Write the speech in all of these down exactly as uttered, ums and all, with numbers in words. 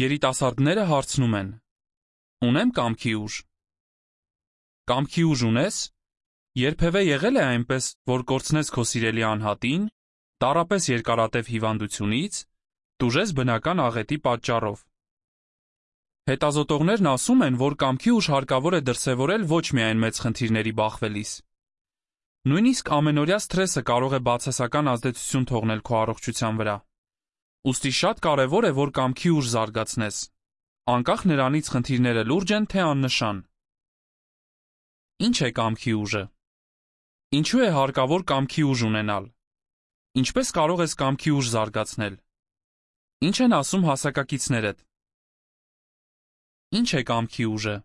Երիտասարդները հարցնում են. Ունեմ կամքի ուժ։ Կամքի ուժ ունես։ Երբևէ եղել է այնպես, որ կորցնես քո սիրելի անհատին, տառապես երկարատև հիվանդությունից, տուժես բնական աղետի պատճառով։ Հետազոտողներն ասում են, որ կամքի ուժ հարկավոր է դրսևորել ոչ միայն մեծ խնդիրների բախվելիս։ Նույնիսկ ամենօրյա սթրեսը կարող է բացասական ազդեցություն թողնել քո առողջության վրա։ Ուստի շատ կարևոր է, որ կամքի ուժ զարգացնես, անկախ նրանից խնդիրները լուրջ են, թե աննշան։ Ինչ է կամքի ուժը։ Ինչու է հարկավոր կամքի ուժ ունենալ։ Ինչպես կարող ես կամքի ուժ զարգացնել։ Ինչ են ասում հասակակիցներդ։ Ինչ է կամքի ուժը։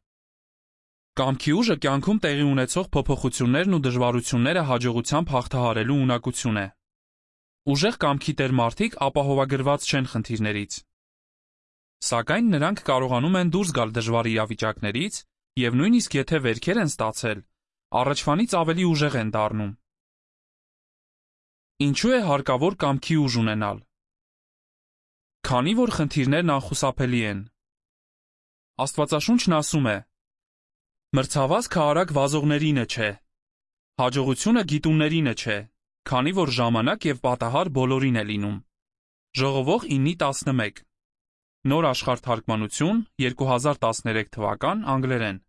Կամքի ուժը կյանքում տեղի ունեցող փոփոխություններն ու դժվարությունները հաջողությամբ հաղթահարելու ունակություն է։ Ուժեղ կամքի տեր մարդիկ ապահովագրված չեն խնդիրներից։ Սակայն նրանք կարողանում են դուրս գալ դժվար իրավիճակներից և նույնիսկ եթե վերքեր են ստացել, առաջվանից ավելի ուժեղ են դառնում։ Ինչու է հարկավոր կամքի ուժ ունենալ։ Քանի որ խնդիրներն անխուսափելի են։ Աստվածաշունչն ասում է. Մրցավազքը արագ վազողներինը չէ, հաջողությունը գիտուններինը չէ, քանի որ ժամանակ և պատահար բոլորին է լինում։ Ժողովող ինը տասնմեկ Նոր աշխարհ թարգմանություն, երկու հազար տասներեք թվական, անգլերեն։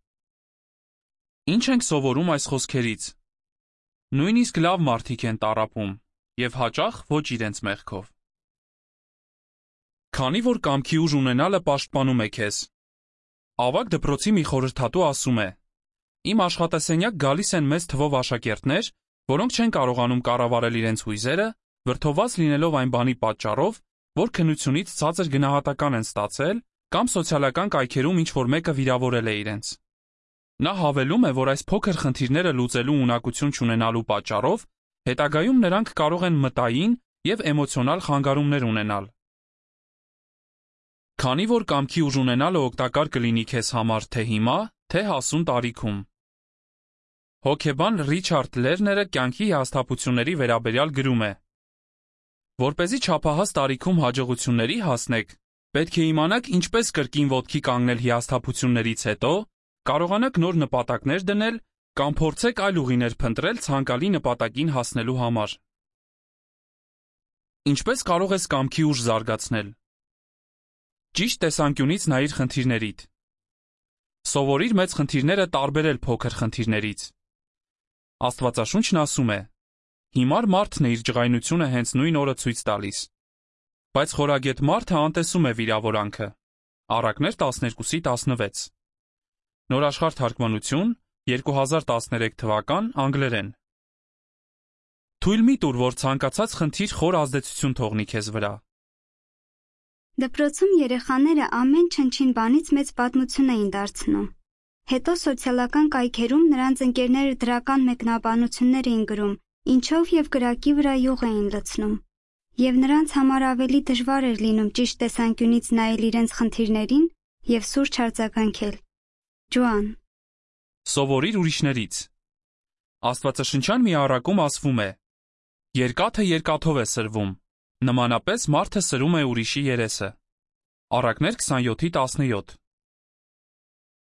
Ինչ ենք սովորում այս խոսքերից։ Նույնիսկ լավ մարդիկ են տառապում, և հաճախ ոչ իրենց մեղքով։ Քանի որ կամքի ուժ ունենալը պաշտպանում է քեզ։ Ավագ դպրոցի մի խորհրդատու ասում է. Իմ աշխատասենյակ գալիս են մեծ թվով աշակերտներ, որոնք չեն կարողանում կառավարել իրենց հույզերը, վրդովված լինելով այն բանի պատճառով, որ քննությունից ցածր գնահատական են ստացել կամ սոցիալական կայքերում ինչ-որ մեկը վիրավորել է իրենց։ Նա հավելում է, որ այս փոքր խնդիրները լուծելու ունակություն չունենալու պատճառով հետագայում նրանք կարող են մտային և էմոցիոնալ խանգարումներ ունենալ։ Քանի որ կամքի ուժ ունենալը օգտակար կլինի քեզ համար թե հիմա, թե հասուն տարիքում։ Հոգեբան Ռիչարդ Լերները կյանքի հիասթափությունների վերաբերյալ գրում է. Որպեսզի չափահաս տարիքում հաջողությունների հասնեք, պետք է իմանաք ինչպես կրկին ոտքի կանգնել հիասթափություններից հետո, կարողանաք նոր նպատակներ դնել կամ փորձեք այլ ուղիներ փնտրել ցանկալի նպատակին հասնելու համար։ Ինչպես կարող ես կամքի ուժ զարգացնել։ Ճիշտ տեսանկյունից նայիր խնդիրներիդ։ Սովորիր մեծ խնդիրները տարբերել փոքր խնդիրներից։ Աստվածաշունչն ասում է. Հիմար մարդն է իր ջղայնությունը հենց նույն օրը ցույց տալիս։ Բայց խորագետ մարդը անտեսում է վիրավորանքը։ Առակներ տասներկուսի տասնվեց Նոր աշխարհ թարգմանություն, երկու հազար տասներեք թվական, անգլերեն։ Թույլ մի տուր, որ ցանկացած խնդիր խոր ազդեցություն թողնի քեզ վրա։ Դպրոցում երեխաները ամեն չնչին բանից մեծ պատմություն էին դարձնում։ Հետո սոցիալական կայքերում նրանց ընկերները դրական մեկնաբանություններ էին գրում, ինչով և կրակի վրա յուղ էին լցնում։ Եվ նրանց համար ավելի դժվար էր լինում ճիշտ տեսանկյունից նայել իրենց խնդիրներին և սուրճ արձագանքել։ Ջոան։ Սովորիր ուրիշներից։ Աստվածաշնչյան մի առակում ասվում է. Երկաթը երկաթով է սրվում, նմանապես մարդը սրում է ուրիշի երեսը։ Առակներ քսանյոթի տասնյոթ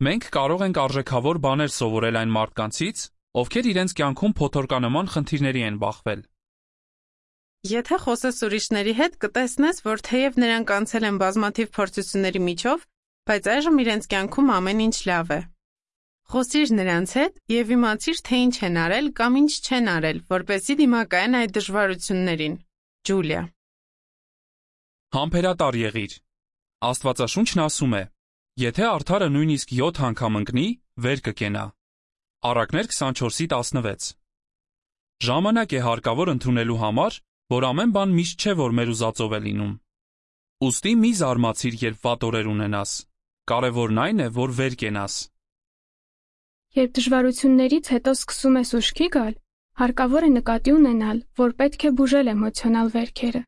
Մենք կարող ենք արժեքավոր բաներ սովորել այն մարդկանցից, ովքեր իրենց կյանքում փոթորկանման խնդիրների են բախվել։ Եթե խոսես ուրիշների հետ, կտեսնես, որ թեև նրանք անցել են բազմաթիվ փորձությունների միջով, բայց այժմ իրենց կյանքում ամեն ինչ լավ է։ Խոսիր նրանց հետ և իմացիր, թե ինչ են արել կամ ինչ չեն արել, որպեսզի դիմակայեն այդ դժվարություններին։ Ջուլիա։ Համբերատար եղիր։ Աստվածաշունչն ասում է. Եթե արդարը նույնիսկ յոթ անգամ ընկնի, վեր կկենա։ Առակներ քսանչորսի տասնվեց Ժամանակ է հարկավոր ընդունելու համար, որ ամեն բան միշտ չէ, որ մեր ուզածով է լինում։ Ուստի մի զարմացիր, երբ վատ օրեր ունենաս։ Կարևորն այն է, որ վեր կենաս։ Երբ դժվարություններից հետո սկսում ես ուշքի գալ, հարկավոր է նկատի ունենալ, որ պետք է բուժել էմոցիոնալ վերքերը։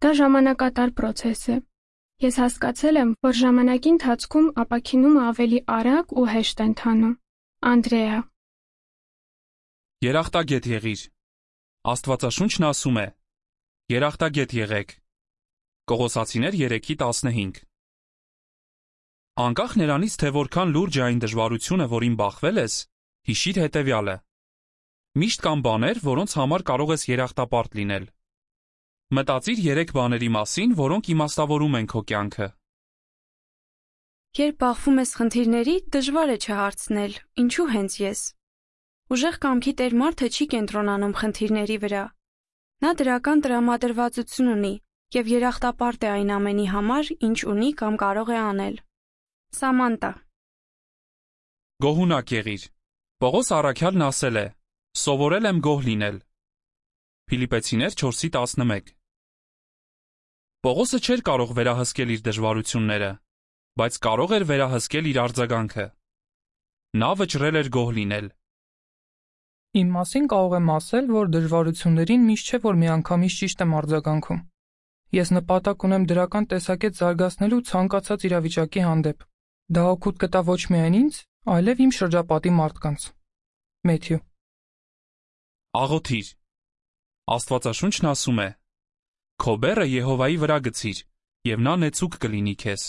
Դա ժամանակատար պրոցես է։ Ես հասկացել եմ, որ ժամանակի ընթացքում ապաքինումը ավելի արագ ու հեշտ է ընթանում։ Անդրեա։ Երախտագետ եղիր։ Աստվածաշունչն ասում է. Երախտագետ եղեք։ Կողոսացիներ երեքի տասնհինգ Անկախ նրանից, թե որքան լուրջ է այն դժվարությունը, որին բախվել ես, հիշիր հետևյալը. միշտ կան բաներ, որոնց համար կարող ես երախտապարտ լինել։ Մտածիր երեք բաների մասին, որոնք իմաստավորում են քո կյանքը։ Երբ բախվում ես խնդիրների, դժվար է չհարցնել, ինչու հենց ես։ Ուժեղ կամքի տեր մարդը չի կենտրոնանում խնդիրների վրա։ Նա դրական տրամադրվածություն ունի և երախտապարտ է այն ամենի համար, ինչ ունի կամ կարող է անել։ Սամանտա։ Գոհունակ եղիր։ Պողոս առաքյալն ասել է. «Սովորել եմ գոհ լինել»։ Փիլիպպեցիներ չորսի տասնմեկ։ Պողոսը չէր կարող վերահսկել իր դժվարությունները, բայց կարող էր վերահսկել իր արձագանքը։ Նա վճռել էր գոհ լինել։ Իմ մասին կարող եմ ասել, որ դժվարություններին միշտ չէ, որ միանգամից ճիշտ եմ արձագանքում։ Ես նպատակ ունեմ դրական տեսակետ զարգացնելու ցանկացած իրավիճակի հանդեպ։ Դա օգուտ կտա ոչ միայն ինձ, այլև իմ շրջապատի մարդկանց։ Մեթյու։ Աղոթիր։ Աստվածաշունչն ասում է. «Քո բեռը Եհովայի վրա գցիր, և նա նեցուկ կլինի քեզ»։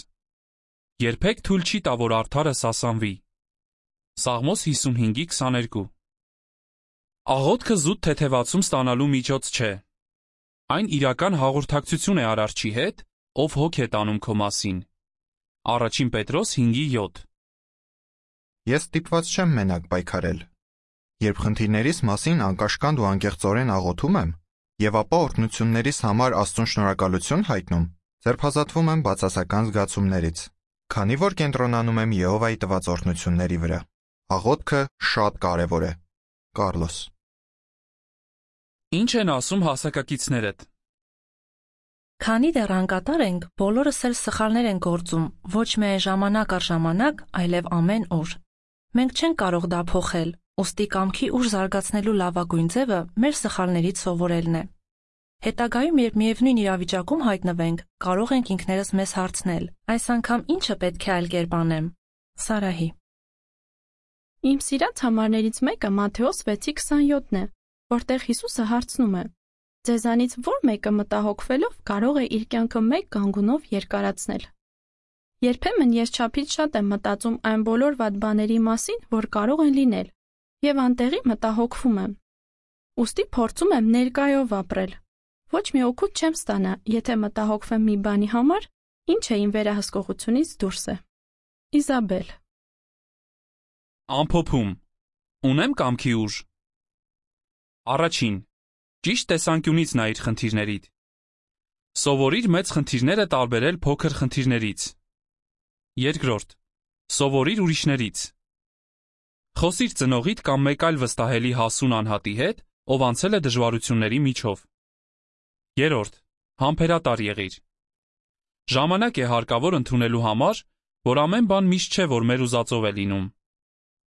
Երբեք թույլ չի տա, որ արդարը սասանվի։ Սաղմոս հիսունհինգի քսաներկու։ Աղոթքը զուտ թեթևացում ստանալու միջոց չէ։ Այն իրական հաղորդակցություն է Արարչի հետ, ով հոգ է տանում քո մասին։ Առաջին Պետրոս հինգի յոթ։ Ես ստիպված չեմ մենակ պայքարել։ Երբ խնդիրներիս մասին անկաշկանդ ու անկեղծորեն աղոթում եմ, եւ ապա օրհնություններիս համար Աստծուն շնորհակալություն հայտնում, ձերբազատվում եմ բացասական զգացումներից, քանի որ կենտրոնանում եմ Եհովայի տված օրհնությունների վրա։ Աղոթքը շատ կարևոր է։ Կարլոս։ Ինչ են ասում հասակակիցներդ։ Քանի դեռ անկատար ենք, բոլորս էլ սխալներ են գործում, ոչ միայն ժամանակ առ ժամանակ, այլև ամեն օր։ Մենք չենք կարող դա փոխել, ուստի կամքի ուժ զարգացնելու լավագույն ձևը մեր սխալներից սովորելն է։ Հետագայում, երբ միևնույն իրավիճակում հայտնվենք, կարող ենք ինքներս մեզ հարցնել. այս անգամ ինչը պետք է այլ կերպ անեմ։ Սարահի։ Իմ սիրած համարներից մեկը Մատթեոս վեցի քսանյոթն է, որտեղ Հիսուսը հարցնում է. ձեզանից ո՞ր մեկը մտահոգվելով կարող է իր կյանքը մեկ գանգունով երկարացնել։ Երբեմն ես չափից շատ եմ մտածում այն բոլոր վատ բաների մասին, որ կարող են լինել, եւ անտեղի մտահոգվում եմ։ Ուստի փորձում եմ ներկայով ապրել։ Ոչ մի օգուտ չեմ ստանա, եթե մտահոգվեմ մի բանի համար, ինչը իմ վերահսկողությունից դուրս է։ Իզաբել։ Ամփոփում։ Ունեմ կամքի ուժ։ Առաջին. ճիշտ տեսանկյունից նայիր խնդիրներիդ։ Սովորիր մեծ խնդիրները տարբերել փոքր խնդիրներից։ Երկրորդ. սովորիր ուրիշներից։ Խոսիր ծնողիդ կամ մեկ այլ վստահելի հասուն անհատի հետ, ով անցել է դժվարությունների միջով։ Երրորդ. համբերատար եղիր։ Ժամանակ է հարկավոր ընդունելու համար, որ ամեն բան միշտ չէ, որ մեր ուզածով է լինում։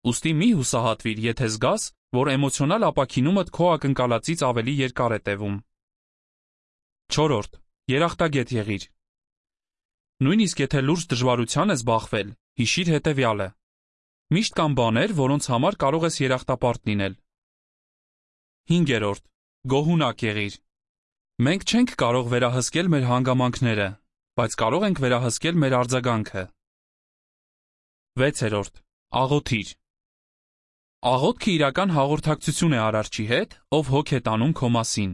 Ուստի մի հուսահատվիր, եթե զգաս, որ էմոցիոնալ ապաքինումդ քո ակնկալածից ավելի երկար է տևում։ Չորրորդ. երախտագետ եղիր։ Նույնիսկ եթե լուրջ դժվարության ես բախվել, հիշիր հետևյալը. միշտ կան բաներ, որոնց համար կարող ես երախտապարտ լինել։ Հինգերորդ. գոհունակ եղիր։ Մենք չենք կարող վերահսկել մեր հանգամանքները, բայց կարող ենք վերահսկել մեր արձագանքը։ Վեցերորդ. աղոթիր։ Աղոթքը իրական հաղորդակցություն է Արարչի հետ, ով հոգ է տանում քո մասին։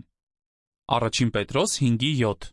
Առաջին Պետրոս հինգի յոթ։